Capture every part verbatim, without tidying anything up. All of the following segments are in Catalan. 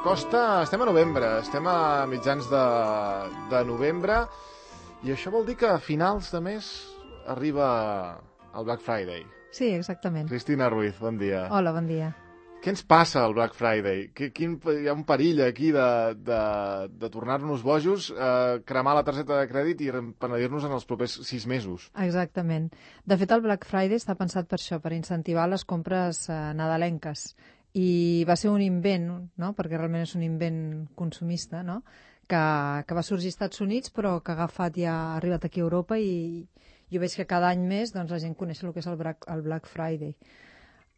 s'acosta, estem a novembre, estem a mitjans de, de novembre, i això vol dir que a finals de mes arriba el Black Friday. Sí, exactament. Cristina Ruiz, bon dia. Hola, bon dia. Què ens passa al Black Friday? Quin, hi ha un perill aquí de, de, de tornar-nos bojos, eh, cremar la targeta de crèdit i penedir-nos en els propers sis mesos. Exactament. De fet, el Black Friday està pensat per això, per incentivar les compres eh, nadalenques. I va ser un invent, no? Perquè realment és un invent consumista, no? que, que va sorgir als Estats Units, però que ha agafat ja ha arribat aquí a Europa, i jo veig que cada any més doncs, la gent coneix el que és el Black, el Black Friday.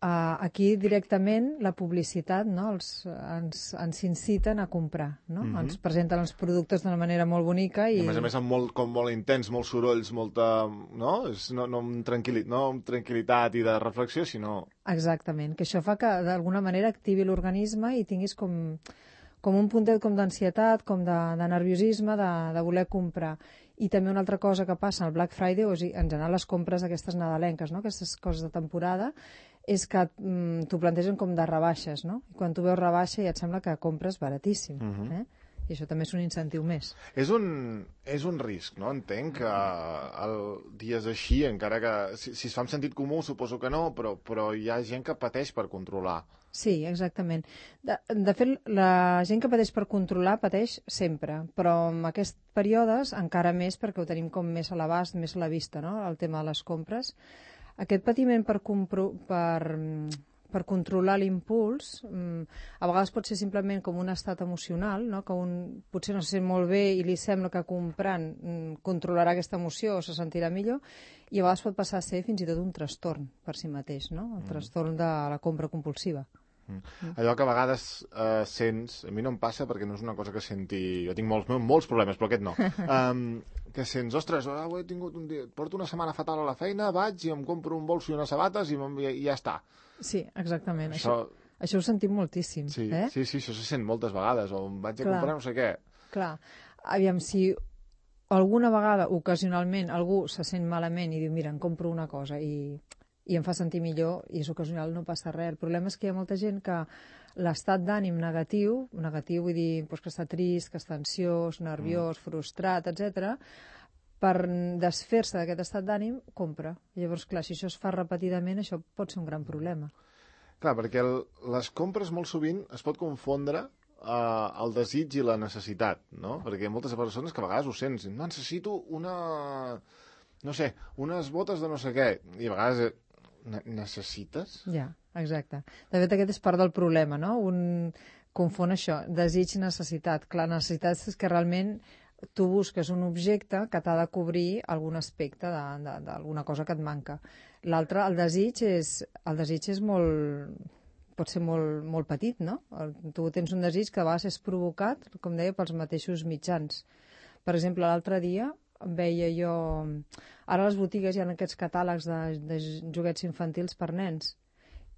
Uh, aquí directament la publicitat, no? els, ens, ens inciten a comprar, no? Mm-hmm. Ens presenten els productes d'una manera molt bonica i... I a més a més amb molt, com molt intens, molts sorolls, molta... no? És no, no, amb tranquil·li... no amb tranquil·litat i de reflexió, sinó... Exactament, que això fa que d'alguna manera activi l'organisme i tinguis com, com un puntet com d'ansietat, com de, de nerviosisme, de, de voler comprar. I també una altra cosa que passa al Black Friday, o sigui, en general les compres d'aquestes nadalenques, no? Aquestes coses de temporada, és que mm, t'ho plantegen com de rebaixes, no? I quan tu veus rebaixa ja et sembla que compres baratíssim. Uh-huh. eh? I això també és un incentiu més. És un, és un risc, no? Entenc que el dies així, encara que si, si es fa amb sentit comú, suposo que no, però, però hi ha gent que pateix per controlar. Sí, exactament. De, de fet, la gent que pateix per controlar pateix sempre, però en aquests períodes encara més, perquè ho tenim com més a l'abast, més a la vista, no? El tema de les compres. Aquest patiment per, compro, per, per controlar l'impuls, a vegades pot ser simplement com un estat emocional, no? Que un potser no se sent molt bé i li sembla que comprant controlarà aquesta emoció o se sentirà millor, i a vegades pot passar a ser fins i tot un trastorn per si mateix, no? El trastorn de la compra compulsiva. Mm. Allò que a vegades eh, sents, a mi no em passa perquè no és una cosa que senti, jo tinc molts, molts problemes, però aquest no, um, que sents, ostres, oh, he tingut un dia, porto una setmana fatal a la feina, vaig i em compro un bolso i unes sabates i, i, i ja està. Sí, exactament, això, això, això ho sentim moltíssim. Sí, eh? sí, sí, això se sent moltes vegades, o em vaig a Clar. comprar no sé què. Clar, aviam, si alguna vegada, ocasionalment, algú se sent malament i diu, mira, em compro una cosa i... i em fa sentir millor, i és ocasional, no passa res. El problema és que hi ha molta gent que l'estat d'ànim negatiu, negatiu vull dir doncs que està trist, que està ansiós, nerviós, mm. frustrat, etcètera, per desfer-se d'aquest estat d'ànim, compra. Llavors, clar, si això es fa repetidament, això pot ser un gran problema. Clar, perquè el, les compres molt sovint es pot confondre eh, el desig i la necessitat, no? Perquè hi ha moltes persones que a vegades ho sents, no, necessito una... no sé, unes botes de no sé què, i a vegades... Ne necessites? Ja, exacte. De fet, aquest és part del problema, no? Un confon això, desig i necessitat. Clar, necessitat és que realment tu busques un objecte que t'ha de cobrir algun aspecte d'alguna cosa que et manca. L'altre, el desig, és, el desig és molt... pot ser molt, molt petit, no? Tu tens un desig que a vegades és provocat, com deia, pels mateixos mitjans. Per exemple, l'altre dia veia jo... Ara a les botigues hi ha aquests catàlegs de, de joguets infantils per nens.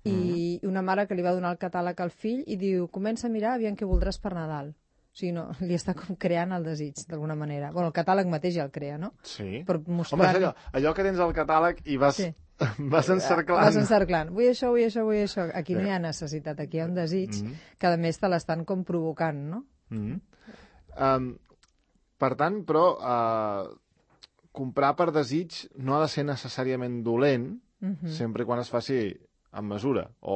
I mm. una mare que li va donar el catàleg al fill i diu, comença a mirar aviam què voldràs per Nadal. O sigui, no, li està com creant el desig, d'alguna manera. Bueno, el catàleg mateix ja el crea, no? Sí. Per mostrar... Home, és allò, allò que tens al catàleg i vas, sí. vas encerclant. Vas encerclant. Vull això, vull això, vull això. Aquí no hi ha necessitat, aquí hi ha un desig mm. que a més te l'estan com provocant, no? Mm. Um, per tant, però... Uh... comprar per desig no ha de ser necessàriament dolent, uh-huh. sempre quan es faci amb mesura. O...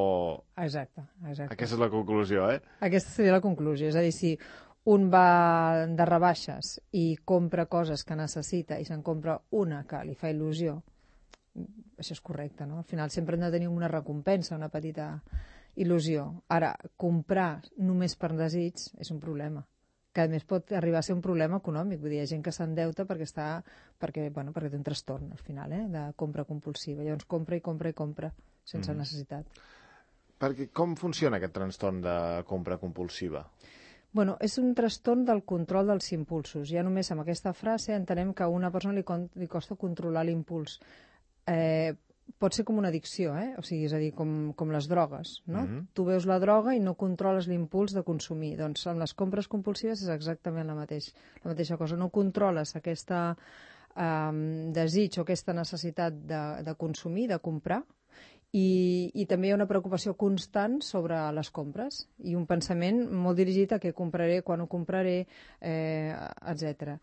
Exacte, exacte. Aquesta és la conclusió, eh? Aquesta seria la conclusió. És a dir, si un va de rebaixes i compra coses que necessita i se'n compra una que li fa il·lusió, això és correcte, no? Al final sempre hem de tenir una recompensa, una petita il·lusió. Ara, comprar només per desig és un problema, que a més pot arribar a ser un problema econòmic. Vull dir, hi ha gent que s'endeuta perquè està perquè, bueno, perquè té un trastorn al final, eh, de compra compulsiva. Llavors compra i compra i compra sense mm. necessitat. Perquè com funciona aquest trastorn de compra compulsiva? Bueno, és un trastorn del control dels impulsos. Ja només amb aquesta frase entenem que a una persona li, li costa controlar l'impuls. Eh, pot ser com una addicció, eh? O sigui, és a dir, com, com les drogues, no? Mm-hmm. Tu veus la droga i no controles l'impuls de consumir. Doncs amb les compres compulsives és exactament la, mateix, la mateixa cosa. No controles aquesta eh, desig o aquesta necessitat de, de consumir, de comprar, I, i també hi ha una preocupació constant sobre les compres i un pensament molt dirigit a què compraré, quan ho compraré, eh, etcètera.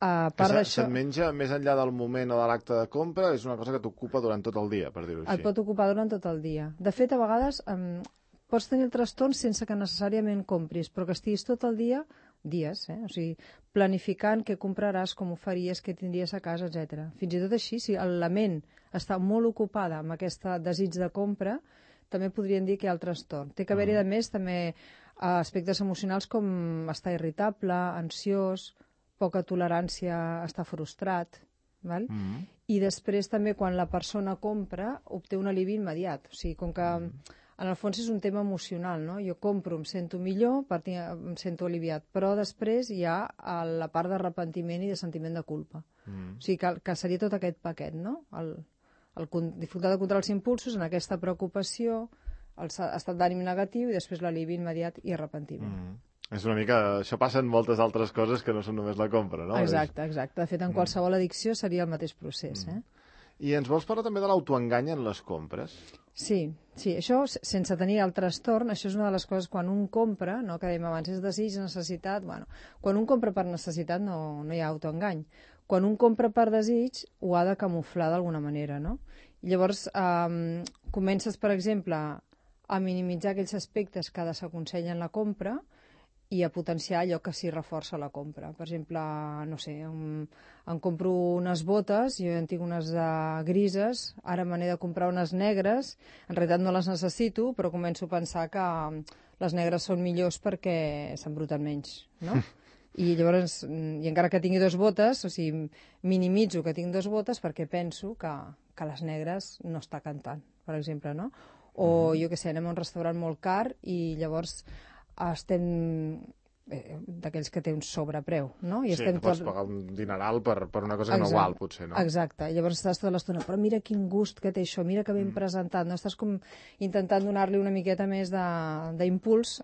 A part d'això... Se't menja més enllà del moment o de l'acte de compra, és una cosa que t'ocupa durant tot el dia, per dir-ho així. Et pot ocupar durant tot el dia. De fet, a vegades eh, pots tenir el trastorn sense que necessàriament compris, però que estiguis tot el dia, dies, eh? O sigui, planificant què compraràs, com ho faries, què tindries a casa, etcètera. Fins i tot així, si la ment està molt ocupada amb aquest desig de compra, també podríem dir que hi ha el trastorn. Té que haver-hi, a més, també aspectes emocionals com estar irritable, ansiós, poca tolerància a estar frustrat, val? Mm -hmm. I després també quan la persona compra obté un alivi immediat. O sigui, com que mm -hmm. en el fons és un tema emocional, no? Jo compro, em sento millor, em sento aliviat, però després hi ha la part d'arrepentiment i de sentiment de culpa. Mm. O sigui, que, que seria tot aquest paquet, no? El, el dificultat de controlar els impulsos en aquesta preocupació, el estat d'ànim negatiu i després l'alivi immediat i arrepentiment. Mm. És una mica... Això passa en moltes altres coses que no són només la compra, no? Exacte, exacte. De fet, en qualsevol addicció seria el mateix procés, eh? I ens vols parlar també de l'autoengany en les compres? Sí, sí, això sense tenir el trastorn, això és una de les coses quan un compra, no, que dèiem abans, és desig, necessitat, bueno, quan un compra per necessitat no, no hi ha autoengany. Quan un compra per desig ho ha de camuflar d'alguna manera, no? I llavors eh, comences, per exemple, a minimitzar aquells aspectes que desaconsellen la compra i a potenciar allò que sí reforça la compra. Per exemple, no sé, em, em compro unes botes, jo en tinc unes de grises, ara me n'he de comprar unes negres, en realitat no les necessito, però començo a pensar que les negres són millors perquè s'embruten menys, no? I llavors, i encara que tingui dues botes, o sigui, minimitzo que tinc dues botes perquè penso que, que les negres no està cantant, per exemple, no? O, jo què sé, anem a un restaurant molt car i llavors estem eh, d'aquells que té un sobrepreu, no? I sí, estem que pots tot... pagar un dineral per, per una cosa que exacte, no val, potser, no? Exacte, i llavors estàs tota l'estona, però mira quin gust que té això, mira que ben mm. presentat, no? Estàs com intentant donar-li una miqueta més d'impuls.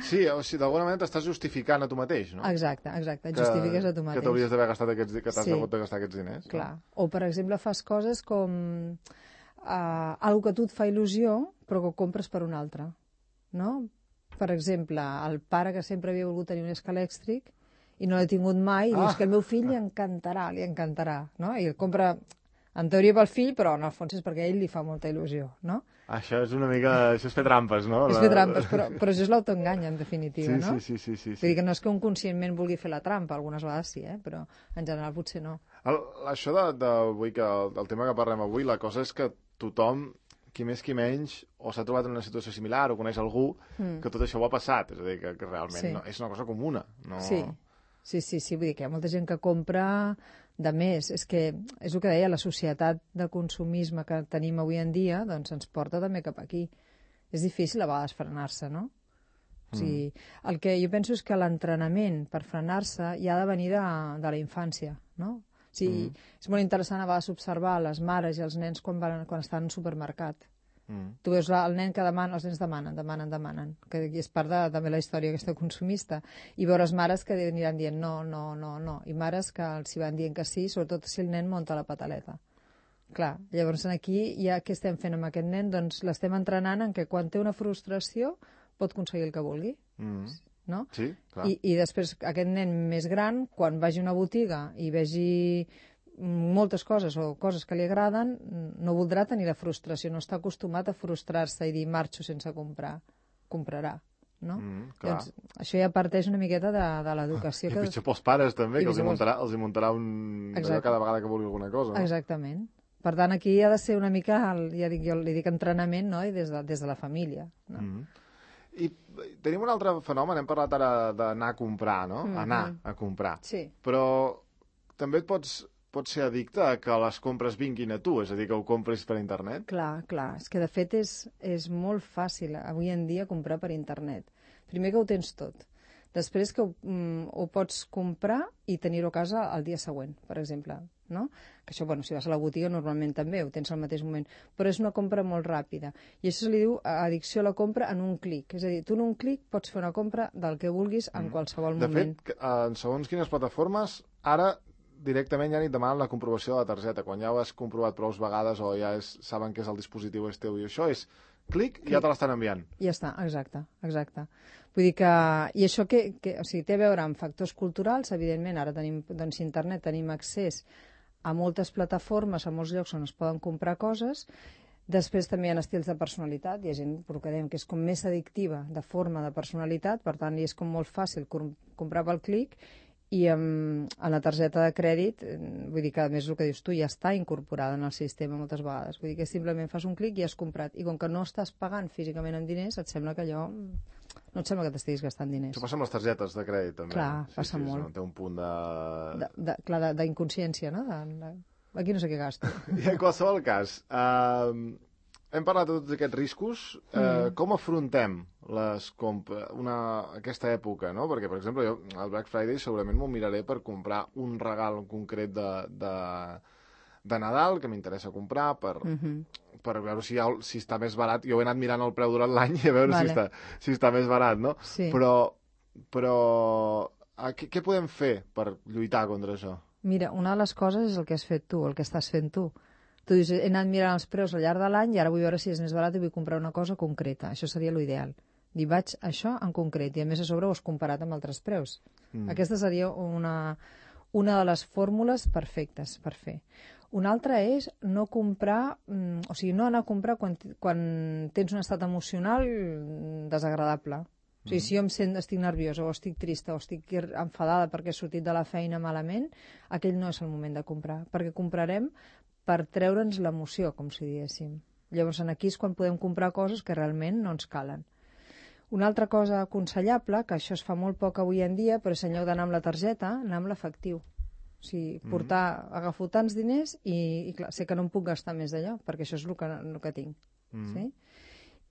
Sí, o sigui, d'alguna manera t'estàs justificant a tu mateix, no? Exacte, exacte, et justifiques a tu mateix. Que t'hauries d'haver gastat aquests, que t'has sí. hagut de gastar aquests diners. Clar, no? o per exemple fas coses com uh, algo que a tu et fa il·lusió, però que ho compres per un altre, no? Per exemple, el pare que sempre havia volgut tenir un escala elèctric i no l'ha tingut mai, i ah. dius que el meu fill li encantarà, li encantarà, no? I el compra, en teoria pel fill, però en el fons és perquè a ell li fa molta il·lusió, no? Això és una mica... Això és fer trampes, no? És fer trampes, però, però això és l'autoengany, en definitiva, sí, no? Sí, sí, sí, sí, sí. Vull dir que no és que un conscientment vulgui fer la trampa, algunes vegades sí, eh? Però en general potser no. El, això de, de, vull que el, el tema que parlem avui, la cosa és que tothom, qui més qui menys, o s'ha trobat en una situació similar o coneix algú mm. que tot això ho ha passat. És a dir, que, que realment sí. no, és una cosa comuna. No... Sí. sí, sí, sí. Vull dir que hi ha molta gent que compra de més. És que, és el que deia, la societat de consumisme que tenim avui en dia doncs ens porta també cap aquí. És difícil a vegades frenar-se, no? O sigui, mm. el que jo penso és que l'entrenament per frenar-se ja ha de venir de, de la infància, no? O sigui, mm. és molt interessant a vegades observar les mares i els nens quan, van, quan estan al supermercat. Mm. Tu veus el nen que demana, els nens demanen, demanen, demanen, que és part de també la història aquesta consumista, i veuràs mares que aniran dient no, no, no, no, i mares que els hi van dient que sí, sobretot si el nen munta la pataleta. Clar, llavors aquí ja què estem fent amb aquest nen? Doncs l'estem entrenant en que quan té una frustració pot aconseguir el que vulgui. Mm. No? Sí, clar. I, I després aquest nen més gran, quan vagi a una botiga i vegi moltes coses o coses que li agraden, no voldrà tenir la frustració, no està acostumat a frustrar-se i dir marxo sense comprar, comprarà, no? Mm, doncs, això ja parteix una miqueta de, de l'educació. I que... pitjor pels pares també, que els hi, muntarà, els hi muntarà un... cada vegada que vulgui alguna cosa. No? Exactament. Per tant, aquí ha de ser una mica, ja dic, jo li dic entrenament, no? I des de, des de la família. No? Mm. I tenim un altre fenomen, hem parlat ara d'anar a comprar, no? Mm-hmm. Anar a comprar. Sí. Però també et pots, pots ser addicte a que les compres vinguin a tu, és a dir, que ho compris per internet? Clar, clar. És que, de fet, és, és molt fàcil avui en dia comprar per internet. Primer que ho tens tot. Després que ho, mm, ho pots comprar i tenir-ho a casa el dia següent, per exemple. No? Que això, bueno, si vas a la botiga normalment també ho tens al mateix moment, però és una compra molt ràpida i això se li diu addicció a la compra en un clic, és a dir, tu en un clic pots fer una compra del que vulguis en qualsevol de moment. De fet, en segons quines plataformes ara directament ja ni et demanen la comprovació de la targeta. Quan ja ho has comprovat prou vegades o ja és, saben que és el dispositiu és teu i això és clic i ja te l'estan enviant. Ja està, exacte, exacte. Vull dir que... I això que, que o sigui, té a veure amb factors culturals, evidentment, ara tenim, doncs, internet, tenim accés a moltes plataformes, a molts llocs on es poden comprar coses. Després també hi ha estils de personalitat, hi ha gent que dèiem que és com més addictiva de forma de personalitat, per tant, és com molt fàcil comprar pel clic, i amb, amb la targeta de crèdit, vull dir que a més el que dius tu ja està incorporada en el sistema moltes vegades, vull dir que simplement fas un clic i has comprat, i com que no estàs pagant físicament en diners, et sembla que allò... no et sembla que t'estiguis gastant diners. Això passa amb les targetes de crèdit, també. Clar, sí, passa sí, molt. Sí, té un punt de... de, de clar, d'inconsciència, no? De, de... Aquí no sé què gasto. I en qualsevol cas, eh, hem parlat de tots aquests riscos. Eh, mm. Com afrontem les compres, una, aquesta època, no? Perquè, per exemple, jo al Black Friday segurament m'ho miraré per comprar un regal concret de, de, de Nadal que m'interessa comprar, per, mm-hmm. per veure si, ha, si està més barat. Jo he anat mirant el preu durant l'any i a veure vale. si, està, si està més barat, no? Sí. Però, però què, què podem fer per lluitar contra això? Mira, una de les coses és el que has fet tu, el que estàs fent tu. Tu dius, he anat mirant els preus al llarg de l'any i ara vull veure si és més barat i vull comprar una cosa concreta. Això seria l'ideal. Dir, vaig això en concret, i a més a sobre ho has comparat amb altres preus. Mm. Aquesta seria una, una de les fórmules perfectes per fer. Una altra és no comprar, o sigui, no anar a comprar quan, quan tens un estat emocional desagradable. O sigui, si jo em sent, estic nerviosa, o estic trista, o estic enfadada perquè he sortit de la feina malament, aquell no és el moment de comprar, perquè comprarem per treure'ns l'emoció, com si diguéssim. Llavors, aquí és quan podem comprar coses que realment no ens calen. Una altra cosa aconsellable, que això es fa molt poc avui en dia, però és en lloc d'anar amb la targeta, anar amb l'efectiu. O sigui, portar, mm. agafo tants diners i, i clar, sé que no em puc gastar més d'allò, perquè això és el que, el que tinc. Mm. Sí?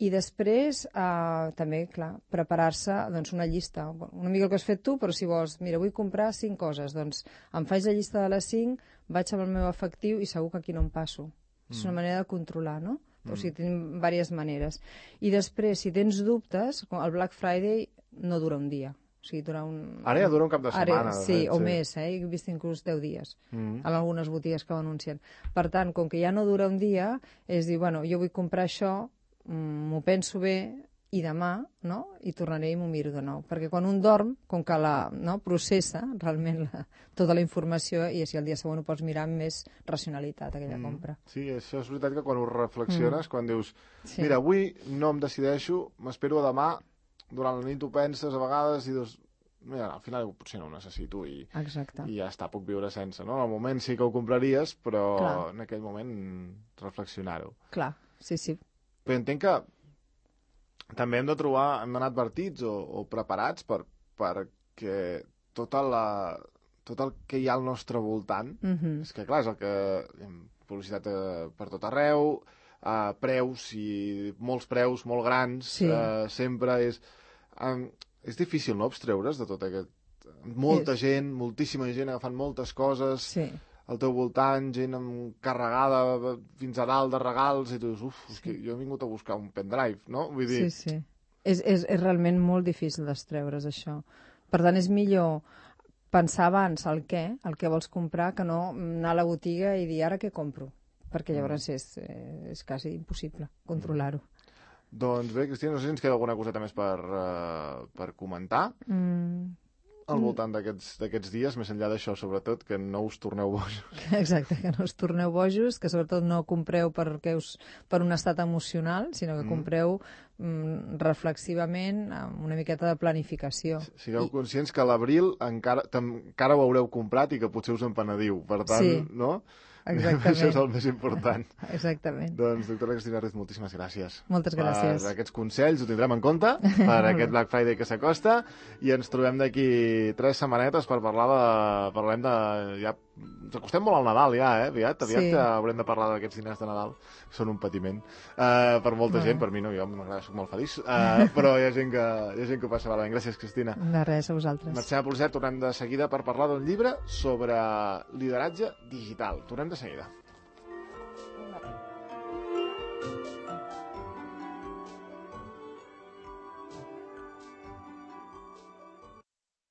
I després, eh, també, clar, preparar-se doncs, una llista. Una mica el que has fet tu, però si vols, mira, vull comprar cinc coses, doncs em faig la llista de les cinc, vaig amb el meu efectiu i segur que aquí no em passo. Mm. És una manera de controlar, no? Mm. O sigui, tenim diverses maneres. I després, si tens dubtes, el Black Friday no dura un dia. O sigui, dura un... Ara ja dura un cap de setmana. Ara, sí, fet, o sí. més, eh? He vist inclús deu dies mm. en algunes botigues que ho anuncien. Per tant, com que ja no dura un dia, és dir, bueno, jo vull comprar això, m'ho penso bé i demà, no? I tornaré i m'ho miro de nou. Perquè quan un dorm, com que la no, processa realment la, tota la informació i si el dia següent ho pots mirar amb més racionalitat, aquella mm. compra. Sí, això és veritat que quan ho reflexiones, mm. quan dius, sí. mira, avui no em decideixo, m'espero a demà, durant la nit ho penses a vegades i dius, mira, al final potser no ho necessito i, i ja està, puc viure sense, no? Al moment sí que ho compraries, però Clar. en aquell moment reflexionar-ho. Clar, sí, sí. Però entenc que també hem de trobar, hem d'anar advertits o, o preparats per, perquè tota la, tot el que hi ha al nostre voltant, mm-hmm. és que clar, és el que... publicitat eh, per tot arreu, eh, preus, i molts preus molt grans, sí. eh, sempre és... Eh, és difícil, no?, abstreure's de tot aquest... Molta és... gent, moltíssima gent agafant moltes coses... Sí. Al teu voltant, gent carregada fins a dalt de regals, i tu dius, uf, sí. és que jo he vingut a buscar un pendrive, no? Vull dir... Sí, sí. És, és, és realment molt difícil d'estreure's, això. Per tant, és millor pensar abans el què, el que vols comprar, que no anar a la botiga i dir, ara què compro? Perquè llavors mm. és, és quasi impossible controlar-ho. Mm. Doncs bé, Cristina, no sé si ens queda alguna coseta més per, uh, per comentar. Mm. Al voltant d'aquests dies, més enllà d'això, sobretot, que no us torneu bojos. Exacte, que no us torneu bojos, que sobretot no compreu perquè us, per un estat emocional, sinó que compreu mm, reflexivament amb una miqueta de planificació. Sigueu I... conscients que a l'abril encara, encara ho haureu comprat i que potser us en penediu. Per tant, sí. no? Exactament. Això és el més important. Exactament. Doncs, doctora Cristina Ruiz, moltíssimes gràcies. Moltes gràcies. Per aquests consells, ho tindrem en compte per aquest Black Friday que s'acosta i ens trobem d'aquí tres setmanetes per parlar de... Parlem de... Ja... Ens acostem molt al Nadal ja, eh? Aviat, aviat sí. haurem de parlar d'aquests diners de Nadal. Són un patiment. Uh, per molta no. gent, per mi no, jo m'agrada, soc molt feliç. Uh, però hi ha gent que, hi ha gent que ho passa malament. Gràcies, Cristina. De res, a vosaltres. Marxem a publicitat, tornem de seguida per parlar d'un llibre sobre lideratge digital. Tornem de seguida.